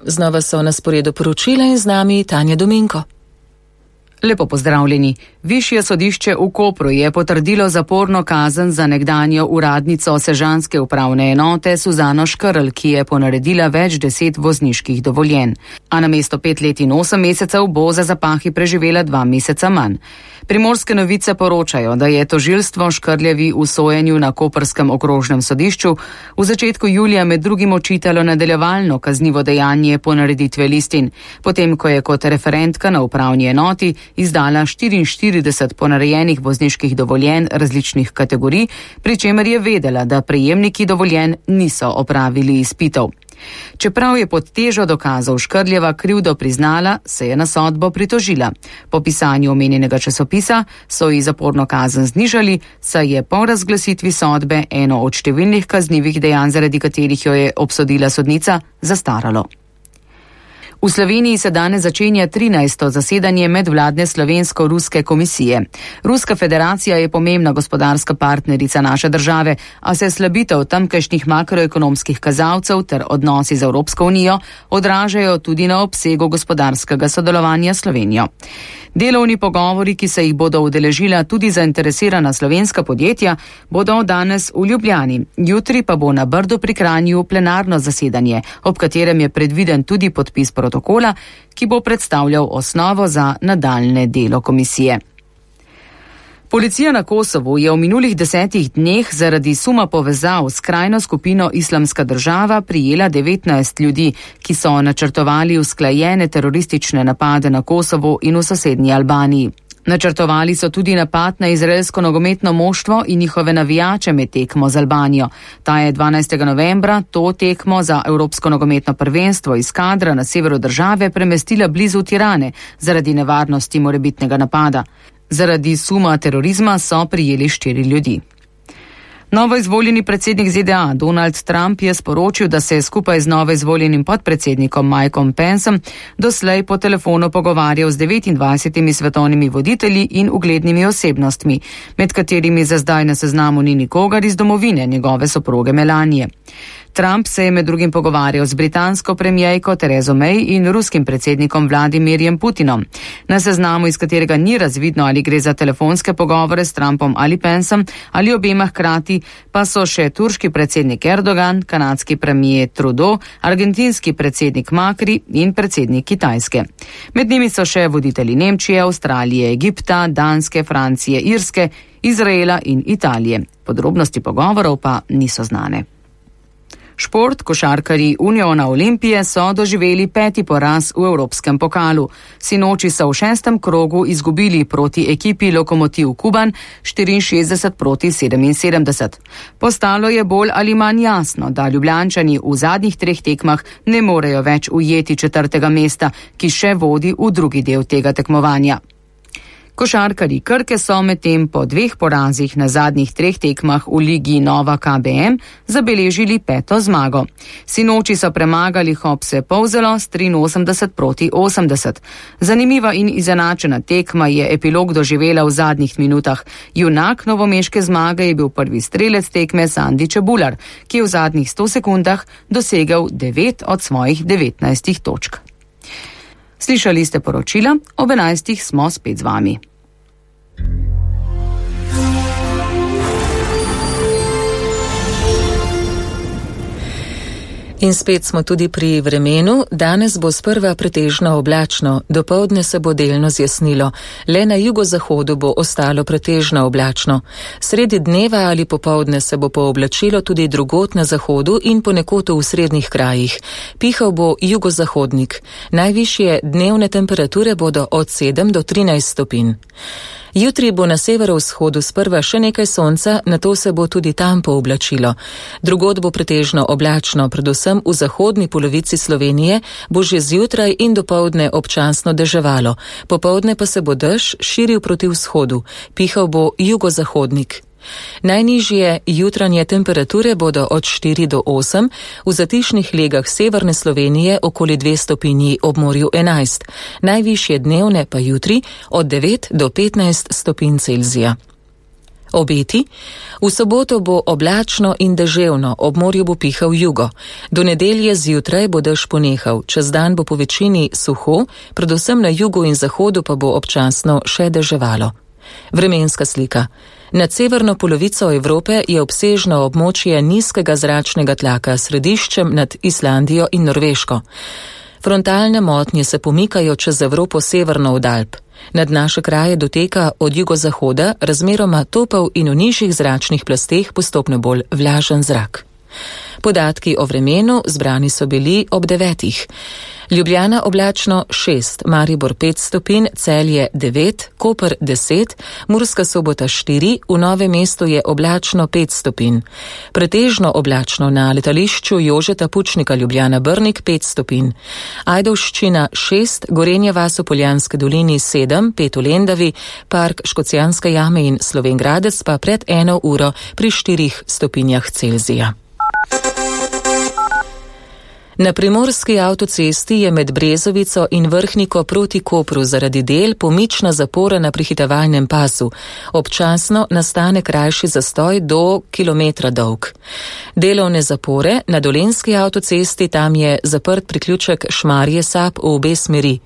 Znova so na sporedu poročila in z nami Tanja Dominko. Lepo pozdravljeni. Višje sodišče v Kopru je potrdilo zaporno kazen za nekdanjo uradnico sežanske upravne enote Suzano Škrl, ki je ponaredila več 10 vozniških dovoljenj. A namesto 5 let in 8 mesecev bo za zapahi preživela 2 meseca manj. Primorske novice poročajo, da je tožilstvo Škrljevi v sojenju na koprskem okrožnem sodišču v začetku julija med drugim očitalo nadaljevalno kaznivo dejanje ponareditve listin, potem ko je kot referentka na upravni enoti izdala 44 ponarejenih vozniških dovoljenj različnih kategorij, pri čemer je vedela, da prejemniki dovoljenj niso opravili izpitov. Čeprav je pod težo dokazov Škrljeva krivdo priznala, se je na sodbo pritožila. Po pisanju omenjenega časopisa so ji zaporno kazen znižali, saj je po razglasitvi sodbe eno od številnih kaznivih dejanj, zaradi katerih jo je obsodila sodnica, zastaralo. V Sloveniji se danes začenja 13. zasedanje medvladne slovensko-ruske komisije. Ruska federacija je pomembna gospodarska partnerica naše države, a se slabitev tamkajšnjih makroekonomskih kazalcev ter odnosi z Evropsko unijo odražajo tudi na obsegu gospodarskega sodelovanja s Slovenijo. Delovni pogovori, ki se jih bodo udeležila tudi zainteresirana slovenska podjetja, bodo danes v Ljubljani. Jutri pa bo na Brdu pri Kranju plenarno zasedanje, ob katerem je predviden tudi podpis protokola, ki bo predstavljal osnovo za nadaljne delo komisije. Policija na Kosovu je v minulih 10 dneh zaradi suma povezav s skrajno skupino Islamska država prijela 19 ljudi, ki so načrtovali usklajene teroristične napade na Kosovu in v sosednji Albaniji. Načrtovali so tudi napad na izraelsko nogometno moštvo in njihove navijače med tekmo z Albanijo. Ta je 12. novembra to tekmo za Evropsko nogometno prvenstvo iz Kadra na severu države premestila blizu Tirane zaradi nevarnosti morebitnega napada. Zaradi suma terorizma so prijeli 4 ljudi. Novo izvoljeni predsednik ZDA Donald Trump je sporočil, da se je skupaj z novo izvoljenim podpredsednikom Mikeom Penceom doslej po telefonu pogovarjal z 29 svetovnimi voditelji in uglednimi osebnostmi, med katerimi za zdaj na seznamu ni nikogar iz domovine njegove soproge Melanije. Trump se je med drugim pogovarjal z britansko premijejko Terezo May in ruskim predsednikom Vladimirjem Putinom. Na seznamu, iz katerega ni razvidno, ali gre za telefonske pogovore s Trumpom ali Penceom ali obema hkrati, pa so še turški predsednik Erdogan, kanadski premijer Trudeau, argentinski predsednik Macri in predsednik Kitajske. Med njimi so še voditelji Nemčije, Avstralije, Egipta, Danske, Francije, Irske, Izraela in Italije. Podrobnosti pogovorov pa niso znane. Šport, košarkarji Uniona Olimpije so doživeli 5. poraz v Evropskem pokalu. Sinoči so v 6. krogu izgubili proti ekipi Lokomotiv Kuban 64-77. Postalo je bolj ali manj jasno, da Ljubljančani v zadnjih 3 tekmah ne morejo več ujeti 4. mesta, ki še vodi v drugi del tega tekmovanja. Košarkarji Krke so medtem po 2 porazih na zadnjih 3 tekmah v ligi Nova KBM zabeležili 5. zmago. Sinoči so premagali Hopse Polzelo s 83-80. Zanimiva in izenačena tekma je epilog doživela v zadnjih minutah. Junak novomeške zmage je bil prvi strelec tekme Sandi Čebular, ki je v zadnjih 100 sekundah dosegel 9 od svojih 19 točk. Slišali ste poročila, ob 11. smo spet z vami. In spet smo tudi pri vremenu. Danes bo sprva pretežno oblačno, dopoldne se bo delno zjasnilo. Le na jugozahodu bo ostalo pretežno oblačno. Sredi dneva ali popoldne se bo pooblačilo tudi drugod na zahodu in ponekod v srednjih krajih. Pihal bo jugozahodnik. Najvišje dnevne temperature bodo od 7 do 13 stopinj. Jutri bo na severovzhodu sprva še nekaj sonca, nato se bo tudi tam pooblačilo. Drugod bo pretežno oblačno, predvsem v zahodni polovici Slovenije bo že zjutraj in dopoldne občasno deževalo. Popoldne pa se bo dež širil proti vzhodu. Pihal bo jugozahodnik. Najnižje jutranje temperature bodo od 4 do 8, v zatišnih legah severne Slovenije okoli 2 stopinji, ob morju 11. Najvišje dnevne pa jutri od 9 do 15 stopinj Celzija. Obeti: v soboto bo oblačno in deževno, ob morju bo pihal jugo. Do nedelje zjutraj bo dež ponehal, čez dan bo po večini suho, predvsem na jugu in zahodu pa bo občasno še deževalo. Vremenska slika. Nad severno polovico Evrope je obsežno območje nizkega zračnega tlaka s središčem nad Islandijo in Norveško. Frontalne motnje se pomikajo čez Evropo severno od Alp. Nad naše kraje doteka od jugozahoda razmeroma topel in v nižjih zračnih plasteh postopno bolj vlažen zrak. Podatki o vremenu zbrani so bili ob 9. Ljubljana oblačno 6, Maribor 5 stopinj, Celje 9, Koper 10, Murska Sobota 4, v Novem mestu je oblačno 5 stopinj. Pretežno oblačno na letališču Jožeta Pučnika Ljubljana Brnik 5 stopinj. Ajdovščina 6, Gorenja vas v Poljanski dolini 7, 5 v Lendavi, Park Škocjanske jame in Slovenj Gradec pa pred 1 uro pri 4 stopinjah Celzija. Na primorski avtocesti je med Brezovico in Vrhniko proti Kopru zaradi del pomična zapora na prehitevalnem pasu. Občasno nastane krajši zastoj do kilometra dolg. Delovne zapore na Dolenjski avtocesti, tam je zaprt priključek Šmarje-Sap v obe smeri.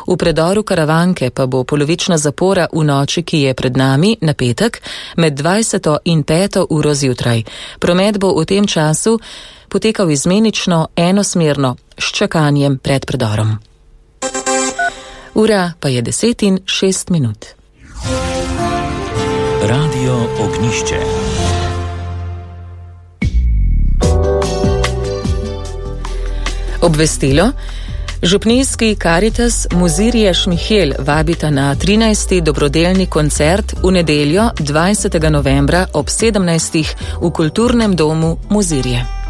V predoru Karavanke pa bo polovična zapora v noči, ki je pred nami, na petek, med 20. in 5. uro zjutraj. Promet bo v tem času potekal izmenično, enosmerno, s čakanjem pred predorom. Ura pa je 10:06. Radio Ognjišče. Obvestilo. Župnijski Karitas Muzirije Šmihel vabita na 13. dobrodelni koncert v nedeljo 20. novembra ob 17. v Kulturnem domu Muzirije.